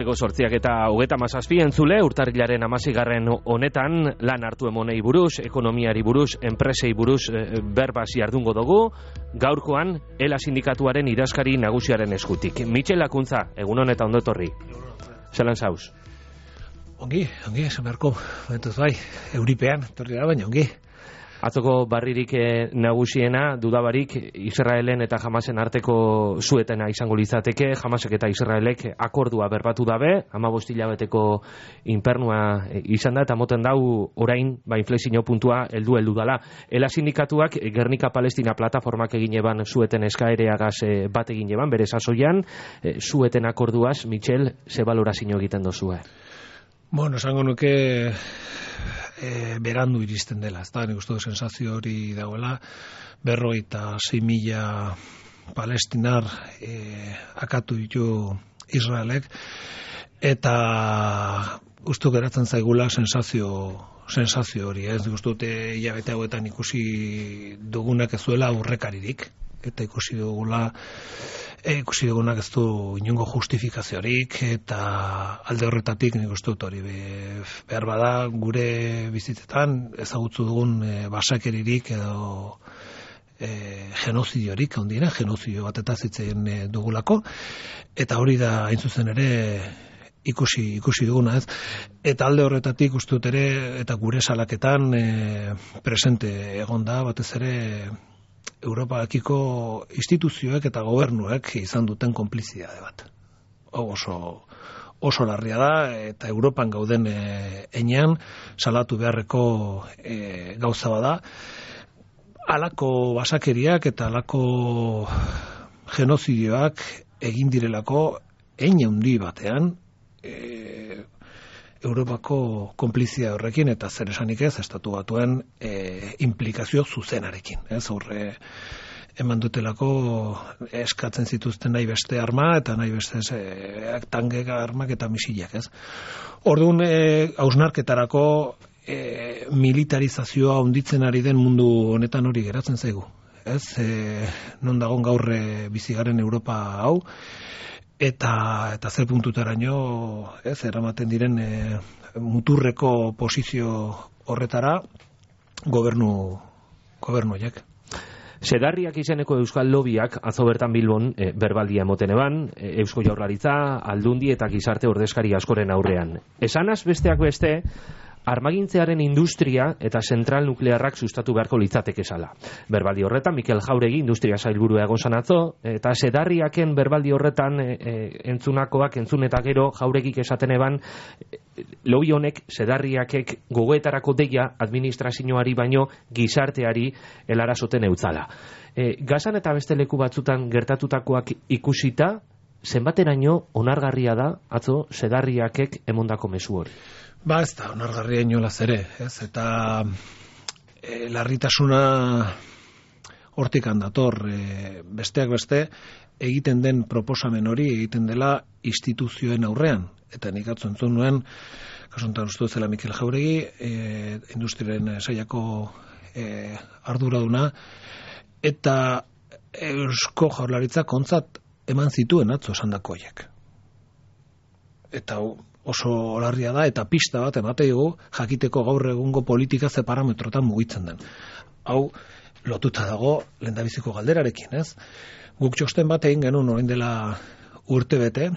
Sortziak eta 37 entzule, urtarrilaren 16. honetan lan hartu emonei buruz, ekonomiari buruz, enpresei buruz berbasi ardungo dugu, gaurkoan ELA sindikatuaren idazkari nagusiaren eskutik. Michel Lakuntza, egun honetan ondo etorri. Zelan zauz? Ongi, esan beharko, momentuz bai, euripean, etorri da, baina ongi. Atzoko barririk nagusiena, dudabarik, Israelen eta Hamasen arteko suetena izango litzateke. Hamasek eta Israelek akordua berbatu dabe, 15 hilabeteko inpernua izan da, eta moten dau orain, inflexio puntua heldu dala. ELA sindikatuak Gernika Palestina plataformak egin eban sueten eskaereagaz bat egin eban, bere sasoian, sueten akorduaz, Michel, ze balorazio egiten dozue? Bueno, esango nuke berandu iristen dela, ez da, nik uste du sensazio hori dagoela, 56.000 palestinar akatu ditu Israelek, eta uste geratzen zaigula sensazio hori, ez nik uste dute hilabete hauetan ikusi dugunak ez duela aurrekaririk, eta ikusi dugunak ez du inongo justifikaziorik, eta alde horretatik nik uste dut hori behar bada gure bizitzetan ezagutzu dugun basakeririk edo genozidiorik handiena, genozidio bat eta zitzeien dugulako, eta hori da hain zuzen ere ikusi duguna, ez? Eta alde horretatik uste dut ere, eta gure salaketan presente egon da, batez ere Europakiko instituzioek eta gobernuek izan duten konplizitate bat. Oso larria da, eta Europan gauden enean salatu beharreko gauza bada. Halako basakeriak eta halako genozidioak egin direlako hein handi batean Europako konplizia horrekin, eta zer esanik ez, estatu batuen implikazio zuzenarekin. Ez horre eman dutelako eskatzen zituzten nahi beste arma, eta nahi beste tangeka armak eta misilak, ez. Orduan, hausnarketarako militarizazioa handitzen ari den mundu honetan hori geratzen zaigu. Ez, non dagon gaur bizigaren Europa hau, eta zer puntutaraino eramaten diren muturreko posizio horretara gobernuak. Sedarriak izeneko euskal lobiak atzo bertan Bilbon berbaldia emoten eban, Eusko Jaurlaritza, Aldundi eta gizarte ordezkari askoren aurrean. Esanaz besteak beste, armagintzearen industria eta zentral nuklearrak sustatu beharko litzateke zala. Berbaldi horretan, Mikel Jauregi, industria sailburua egon zan atzo, eta sedarriaken berbaldi horretan entzun eta gero Jauregik esaten eban, lobi honek sedarriakek gogoetarako deia administrazioari baino gizarteari helarazoten eutzala. Gazan eta beste leku batzutan gertatutakoak ikusita, zenbateraino onargarria da atzo sedarriakek emondako mezu hori? Ba, ez da, onargarria inolaz ere, ez, eta larritasuna hortik handator, besteak beste, egiten den proposamen hori egiten dela instituzioen aurrean, eta nik atzo entzun nuen, kasuntan uste zela Mikel Jauregi, industriaren sailako arduraduna, eta Eusko Jaurlaritza kontzat eman zituen atzo esandakoiek. Eta oso larria da, eta pista bat emateigu jakiteko gaur egungo politika ze parametrotan mugitzen den. Hau lotuta dago lehendabiziko galderarekin, ez? Guk txosten bat egin genuen orain dela urtebete,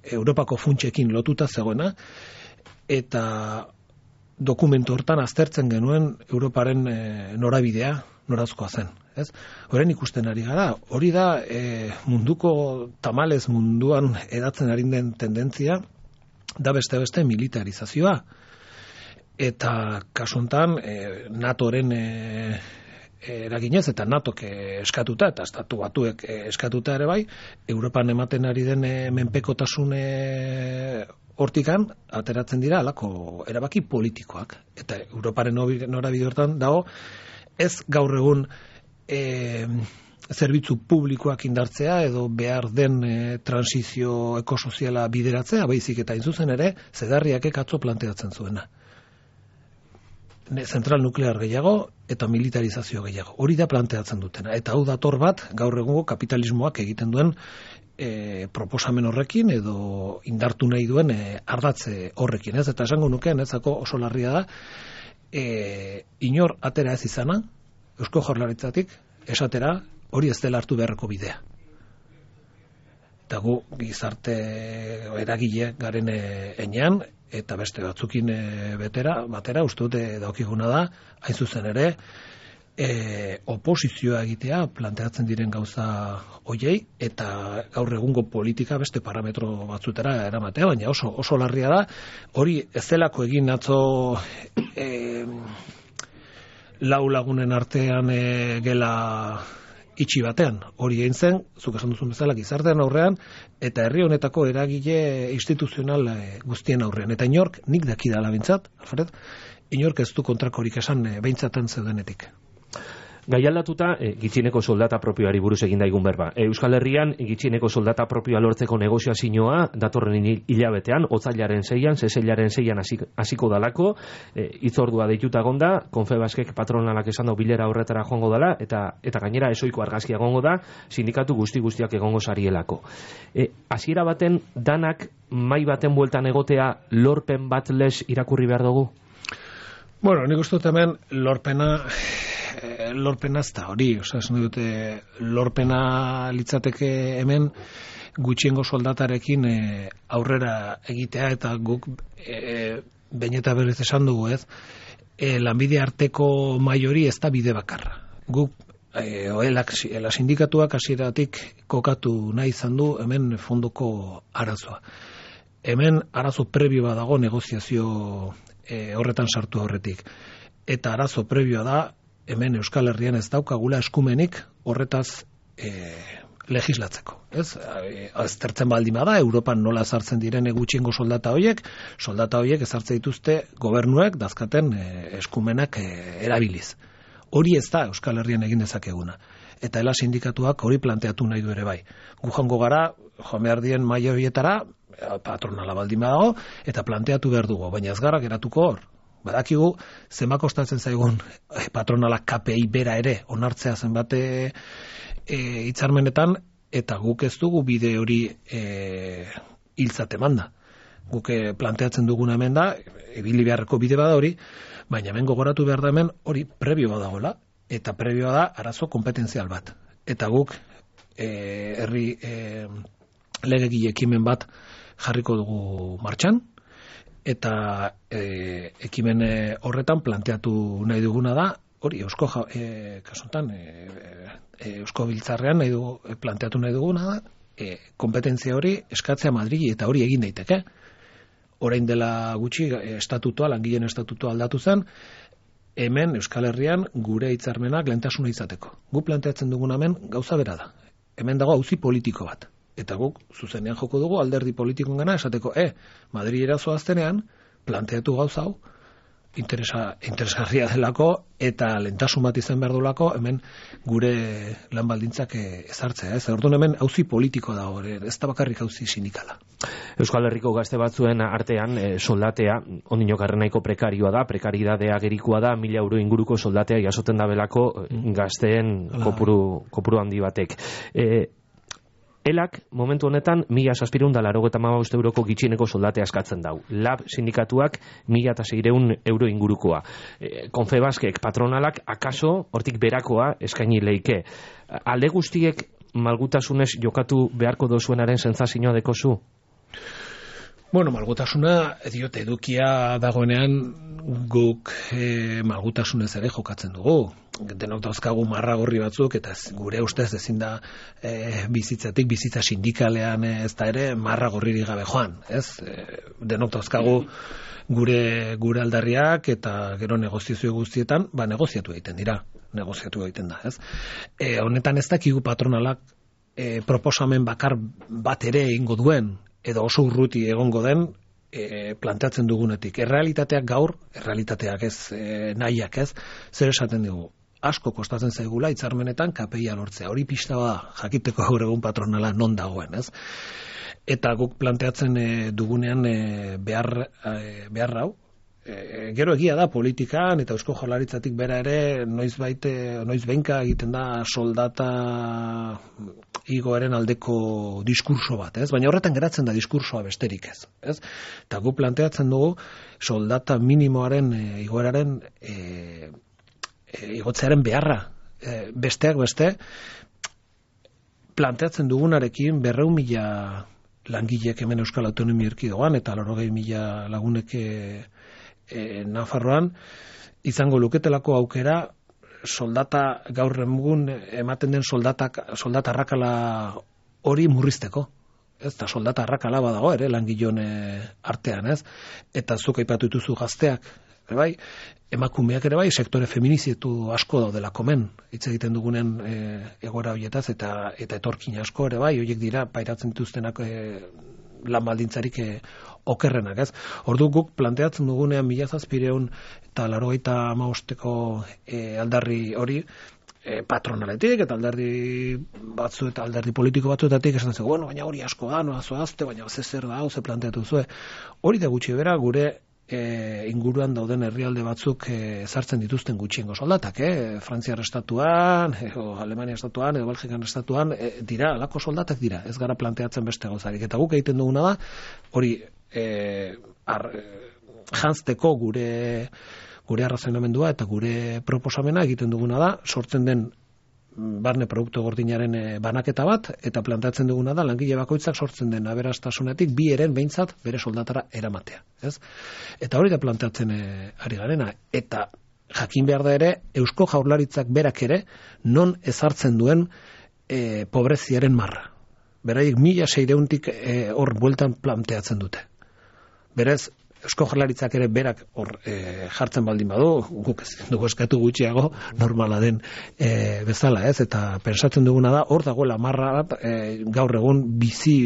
Europako funtsekin lotuta zegoena, eta dokumentu hortan aztertzen genuen Europaren norabidea, norazkoa zen. Ez? Horren ikusten ari gara, hori da munduko tamalez munduan edatzen ari den tendentzia, da beste militarizazioa. Eta kasuntan NATOren eraginez, eta NATOk eskatuta, eta estatu batuek eskatuta ere bai, Europan ematen ari den menpekotasun hortikan, ateratzen dira alako erabaki politikoak. Eta Europaren norabide hortan dago, ez gaur egun zerbitzu publikoak indartzea edo behar den transizio ekosoziala bideratzea, baizik eta inzuzen ere, sedarriakek atzo planteatzen zuena. Zentral nuklear gehiago eta militarizazio gehiago. Hori da planteatzen dutena. Eta hau dator bat, gaur egungo kapitalismoak egiten duen proposamen horrekin edo indartu nahi duen ardatze horrekin, ez? Eta esango nukeen, ezako oso larria da, inor atera ez izana, Eusko Jaurlaritzatik, esatera, hori ez dela hartu beharreko bidea. Eta gu gizarte eragile garen enean, eta beste batzukin batera, uste dute daukiguna da, hain zuzen ere, oposizioa egitea planteatzen diren gauza hoiei, eta gaur egungo politika beste parametro batzutera eramatea, baina oso larria da, hori ez delako egin atzo lau lagunen artean gela itxi batean, hori egin zen, zuk esan duzun bezala gizartean aurrean, eta herri honetako eragile instituzional guztien aurrean. Eta inork, nik dakidala bintzat, Alfred, inork ez du kontrakorik esan beintzaten zeudenetik. Gai aldatuta, gitxieneko soldata propioari buruz egin daigun berba. Euskal Herrian, gitxieneko soldata propioa lortzeko negoziazioa datorren hilabetean, otzailaren 6an, seseilaren 6an hasiko dalako, hitzordua deituta egonda, Confebaskek patronalak esan dau bilera horretara joango dela, eta gainera ezoiko argazkia egongo da, sindikatu guztiak egongo sarielako. Hasiera baten, danak mai baten bueltan egotea lorpen bat les irakurri behar dugu? Bueno, nik uste dut hemen lorpena ez da hori, esan dute lorpena litzateke hemen gutxiengo soldatarekin aurrera egitea, eta guk behin eta berriz esan dugu, ez, lanbide arteko mai hori ez da bide bakarra. Guk la sindikatuak hasieratik kokatu nahi izan du hemen fondoko arazoa. Hemen arazo prebioa dago negoziazio horretan sartu horretik. Eta arazo prebioa da, hemen Euskal Herrian ez daukagula eskumenik horretaz legislatzeko. Ez aztertzen baldin bada, Europan nola ezartzen diren gutxiengo soldata horiek ezartzen dituzte gobernuek dazkaten eskumenak erabiliz. Hori ez da Euskal Herrian egin dezakeguna. Eta ela sindikatuak hori planteatu nahi du ere bai. Gu joango gara, joan behar dien maila horietara, patronala baldin badago, eta planteatu behar dugu, baina ez gara geratuko hor. Badakigu, zenbat kostatzen zaigun patronalak KPI bera ere onartzea zenbat hitzarmenetan, eta guk ez dugu bide hori hiltzat emanda. Guk planteatzen duguna hemen da, ibili beharreko bide bada hori, baina hemen gogoratu behar da hemen hori prebio badagoela, eta prebioa da arazo kompetentzial bat. Eta guk herri legegile ekimen bat jarriko dugu martxan, eta ekimen horretan planteatu nahi duguna da, hori kasuntan Eusko Biltzarrean planteatu nahi duguna da, kompetentzia hori eskatzea Madrili, eta hori egin daiteke. Orain dela gutxi langileen estatutua aldatu zen, hemen Euskal Herrian gure hitzarmenak lehentasuna izateko. Gu planteatzen duguna hemen gauza bera da. Hemen dago auzi politiko bat. Eta guk zuzenean joko dugu alderdi politikoen gana esateko, Madrilera zoaztenean planteatu gauza hau, interesgarria delako, eta lehentasun bat izan behar duelako, hemen gure lan baldintzak ezartzea. Orduan hemen auzi politiko dago, ez da bakarrik auzi sindikala. Euskal Herriko gazte batzuen artean soldatea, ondino garrenaiko prekarioa da, prekaridadea gerikoa da, 1.000 euro inguruko soldatea jasoten da belako gazteen kopuru handi batek. Elak, momentu honetan, 1.785 euroko gitxieneko soldatea eskatzen dau. Lab sindikatuak 1.600 euro ingurukoa. Confebaskek, patronalak, akaso, hortik berakoa eskaini leike. Alde guztiek malgutasunez jokatu beharko dozuenaren sentsazioa dekozu? Bueno, malgutasuna, diote edukia dagoenean guk malgutasunez ere jokatzen dugu. Denok dauzkagu marra gorri batzuk, eta gure ustez ezin da bizitza sindikalean ez da ere marra gorririk gabe joan. Denok dauzkagu gure aldarriak, eta gero negoziazio guztietan, negoziatu egiten da. Honetan ez dakigu patronalak proposamen bakar bat ere egingo duen, edo oso urruti egongo den planteatzen dugunetik. Errealitateak ez, nahiak ez, zer esaten dugu. Asko kostatzen zaigula hitzarmenetan KPIa lortzea. Hori pista bada jakiteko gaur egun patronala non dagoen, ez? Eta guk planteatzen dugunean behar hau. Gero egia da politikan eta Eusko Jaurlaritzatik bera ere noiz behinka egiten da soldata igoaren aldeko diskurso bat, ez? Baina horretan geratzen da diskursoa besterik ez, ez? Eta gu planteatzen dugu soldata minimoaren igoeraren igotzearen beharra, besteak beste planteatzen dugunarekin 200.000 langilek hemen Euskal Autonomia Erkidegoan eta 80.000 lagunek Nafarroan izango luketelako aukera soldata gaur egun ematen den soldata arrakala hori murrizteko. Ez da soldata arrakala badago ere langilon artean, ez? Eta zuk aipatu dituzu gazteak, ere bai, emakumeak ere bai, sektore feminizietu asko daudela komen, hitz egiten dugunen egoera horietaz eta etorkin asko ere bai, horiek dira pairatzen dituztenak lan baldintzarik okerrenak, ez? Ordu guk planteatzen dugunean 1700 eta 95ko aldarri hori patronaletik eta alderdi batzu eta alderdi politiko batzuetatik esan zen, bueno, baina hori asko da, noa zoazte, baina zer da, ze planteatu zuen. Hori da gutxi bera gure inguruan dauden herrialde batzuk ezartzen dituzten gutxiengo soldatak, Frantziar estatuan, Alemania estatuan, edo Belgikan estatuan, dira, alako soldatak dira, ez gara planteatzen beste gauzarik. Eta guk egiten duguna da, hori janzteko gure arrazonamendua eta gure proposamena egiten duguna da, sortzen den barne produktu gordinaren banaketa bat, eta planteatzen duguna da, langile bakoitzak sortzen den aberastasunetik bi eren behintzat bere soldatara eramatea. Ez? Eta hori da planteatzen ari garena. Eta jakin behar da ere, Eusko Jaurlaritzak berak ere, non ezartzen duen pobreziaren marra. Beraiek 1600tik hor bueltan planteatzen dute. Berez, Eusko Jaurlaritzak ere berak hor jartzen baldin badu, guk ez dugu eskatu gutxiago normala den bezala, ez? Eta pensatzen duguna da, hor dagoela marra bat, gaur egun bizi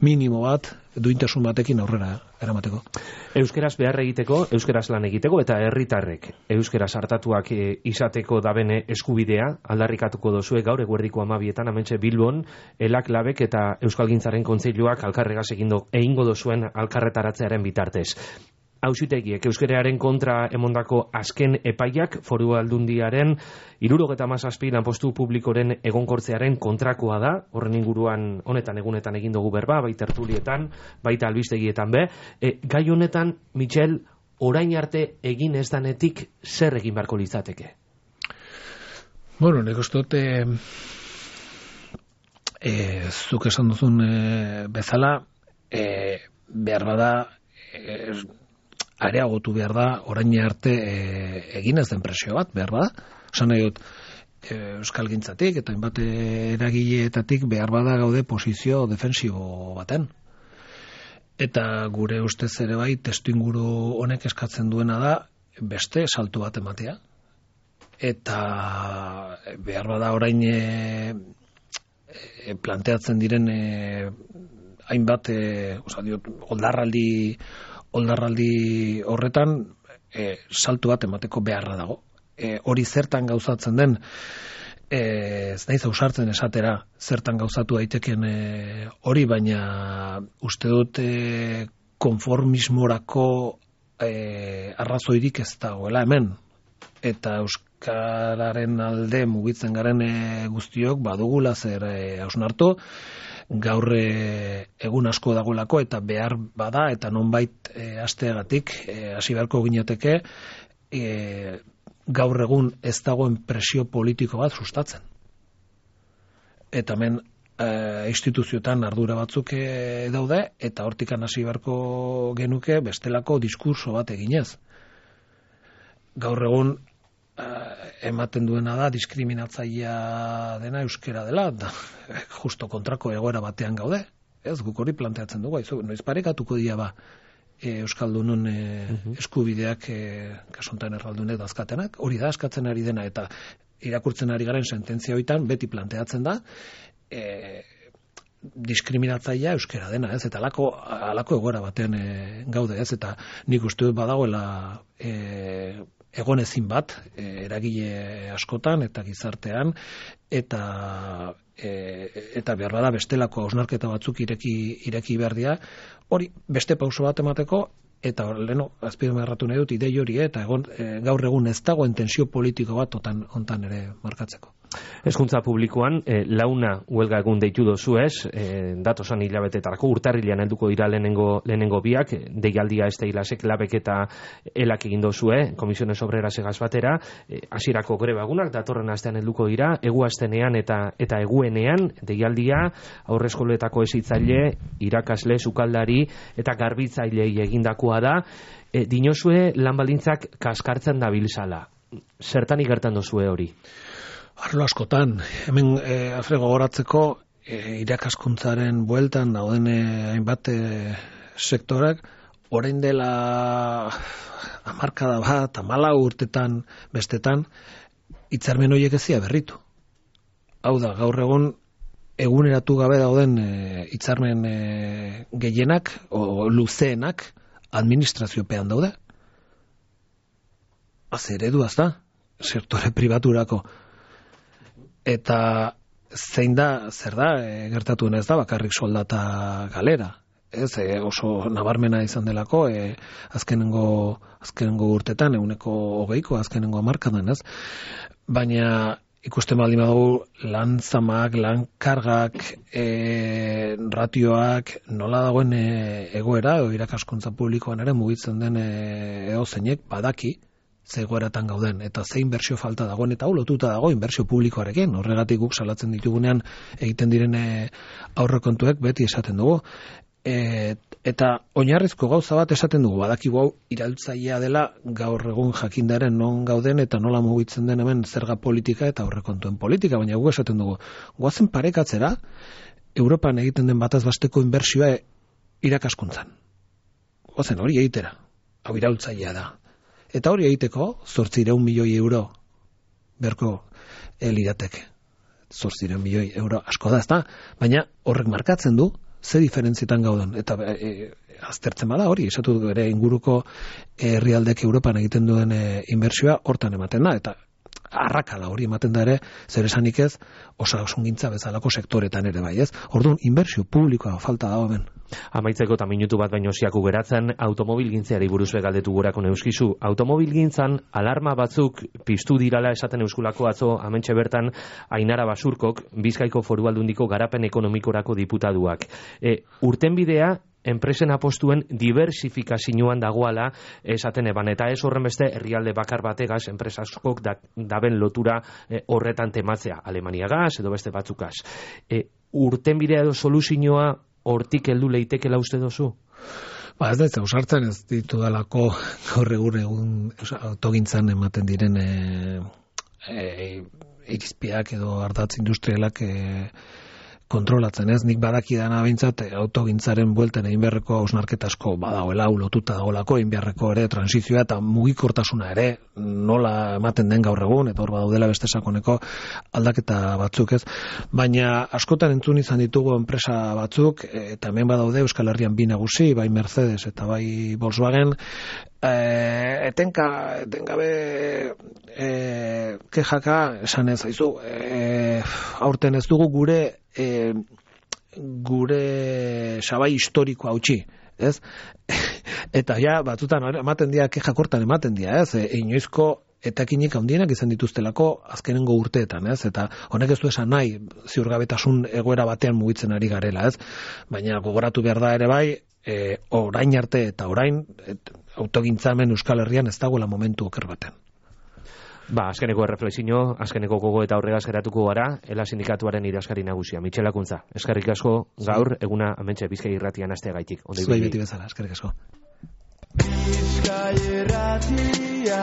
minimo bat, duintasun batekin aurrera eramateko. Euskeraz behar egiteko, euskeraz lan egiteko, eta herritarrek euskeraz hartatuak izateko dabene eskubidea, aldarrikatuko dozue gaur eguerdiko 12etan, hementxe Bilbon, Elak Labek eta Euskalgintzaren Kontseiluak alkarregaz egingo dozuen alkarretaratzearen bitartez. Auzitegiek euskeraren kontra emondako azken epaiak Foru Aldundiaren 77 lanpostu publikoren egonkortzearen kontrakoa da, horren inguruan honetan egunetan egin dugu berba, baita tertulietan, baita albistegietan be. Gai honetan, Michel, orain arte egin ez danetik zer egin beharko litzateke? Bueno, nik uste dut zuk esan duzun bezala behar bada areagotu behar da, orain arte egin ez den presio bat, behar bada. Esan nahi dut, Euskalgintzatik eta hainbat eragileetatik behar bada gaude posizio defensibo baten. Eta gure ustez ere bai, testuinguru honek eskatzen duena da, beste saltu bat ematea. Eta behar bada orain planteatzen diren hainbat, oldarraldi horretan saltu bat emateko beharra dago. Hori zertan gauzatzen den, ez naiz ausartzen esatera zertan gauzatu daiteken hori, baina uste dut konformismorako arrazoirik ez dagoela hemen. Eta euskararen alde mugitzen garen guztiok badugula zer hausnartu, gaur egun asko dagoelako eta behar bada eta nonbait hasteagatik hasi beharko ginateke gaur egun ez dagoen presio politiko bat sustatzen. Eta hemen instituzioetan ardura batzuk daude eta hortikan hasi beharko genuke bestelako diskurso bat eginez. Gaur egun ematen duena da diskriminatzailea dena euskera dela, da justo kontrako egoera batean gaude. Ez, guk hori planteatzen dugu, noiz parekatuko dira ba euskaldunon eskubideak kasontan erraldunek dazkatenak, hori da eskatzen ari dena, eta irakurtzen ari garen sententzia hoitan beti planteatzen da diskriminatzailea euskera dena, ez, eta alako egoera batean gaude, ez, eta nik uste dut badagoela egonezin bat eragile askotan eta gizartean eta behar bada bestelako hausnarketa batzuk ireki behar dira, hori beste pauso bat emateko eta leno azpimarratu nahi dut idei hori eta gaur egun ez dagoen tensio politiko bat hontan ere markatzeko. Hezkuntza publikoan, launa huelga egun deitu dozu ez, datosan hilabetetarako urtarrilean helduko dira lehenengo biak, deialdia ez teilasek labek eta elak egin dozue, Komisiones Obreras egaz batera, hasierako greba egunak, datorren astean helduko dira, egu astenean eta eguenean, deialdia, aurreskoletako hezitzaile, irakasle, sukaldari eta garbitzailei egindakoa da, dinozue lan baldintzak kaskartzen dabilzala. Zertan igertan dozue hori? Arlo askotan, hemen gogoratzeko irakaskuntzaren bueltan dauden hainbat sektorak, orain dela hamarkada bat, 14 urtetan bestetan, hitzarmen horiek ezia berritu. Hau da, gaur egun eguneratu gabe dauden hitzarmen gehienak o luzeenak administraziopean daude. Eredua da, sektore pribaturako. Eta zer da, gertatu ez da, bakarrik soldata galera. Ez, oso nabarmena izan delako, azkenengo urtetan, 20%, azkenengo hamarkadan, ez? Baina ikusten baldin badugu lan zamak, lan kargak, ratioak, nola dagoen egoera, irakaskuntza publikoan ere mugitzen den edozeinek badaki, zegoeratan gauden, eta ze inbertsio falta dagoen, eta hau lotuta dago inbertsio publikoarekin, horregatik guk salatzen ditugunean egiten diren aurrekontuek beti esaten dugu. Eta oinarrizko gauza bat esaten dugu, badakigu hau iraultzailea dela gaur egun jakindaren non gauden eta nola mugitzen den hemen zerga politika eta aurrekontuen politika, baina guk esaten dugu, goazen parekatzera, Europan egiten den bataz besteko inbertsioa irakaskuntzan. Goazen hori egitera, hau iraultzailea da. Eta hori egiteko, 800 milioi euro berko lirateke. 800 milioi euro asko da, ezta? Baina horrek markatzen du, ze diferentzietan gauden. Eta aztertzen bada hori, esatu du ere inguruko herrialdek Europan egiten duen inbertsioa hortan ematen da. Eta arrakala hori ematen da ere, zer esanik ez, osasungintza bezalako sektoretan ere bai, ez? Orduan, inbertsio publikoa falta dago hemen. Amaitzeko eta minutu bat baino ziaku geratzen, automobilgintzeari buruz galdetu gorako neuskizu. Automobilgintzan alarma batzuk piztu dirala esaten euskulako atzo hementxe bertan Ainara Basurkok, Bizkaiko Foru Aldundiko garapen ekonomikorako diputaduak. Urtenbidea enpresen apostuen diversifikazioan dagoala esaten eban, eta ez horren beste herrialde bakar bategaz enpresaskok daben lotura horretan tematzea, Alemania gaz edo beste batzukaz. Urtenbidea edo soluzioa hortik heldu leitekela uste dozu? Ez da, ausartzen ez ditu dalako gaur egun autogintzan ematen diren irizpiak edo ardatz industrialak kontrolatzen, ez? Nik badakidana behintzat autogintzaren buelten egin beharreko hausnarketa asko badagoela, lotuta dagoelako, egin beharreko ere transizioa eta mugikortasuna ere nola ematen den gaur egun, eta hor badaudela beste sakoneko aldaketa batzuk, ez? Baina askotan entzun izan ditugu enpresa batzuk, eta hemen badaude Euskal Herrian bi nagusi, bai Mercedes eta bai Volkswagen, etengabe kejaka esan ez aizu, aurten ez dugu gure sabai historikoa hautsi, ez? Eta ja, batzutan ematen dira, kejak hortan ematen dira, ez? Inoizko etekinik handienak izan dituztelako azkenengo urteetan, ez? Eta honek ez du esan nahi, ziurgabetasun egoera batean mugitzen ari garela, ez? Baina gogoratu behar da ere bai, orain arte eta orain autogintzamen Euskal Herrian ez dagoela momentu oker baten. Azkeneko erreflexio, azkeneko gogo eta horregaz geratuko gara, ELA sindikatuaren idazkari nagusia, Mitxel Akuntza. Eskerrik asko gaur, eguna hementxe Bizkai Irratian astea gaitik. Zuei beti bezala, eskerrik asko. Bizkai Irratia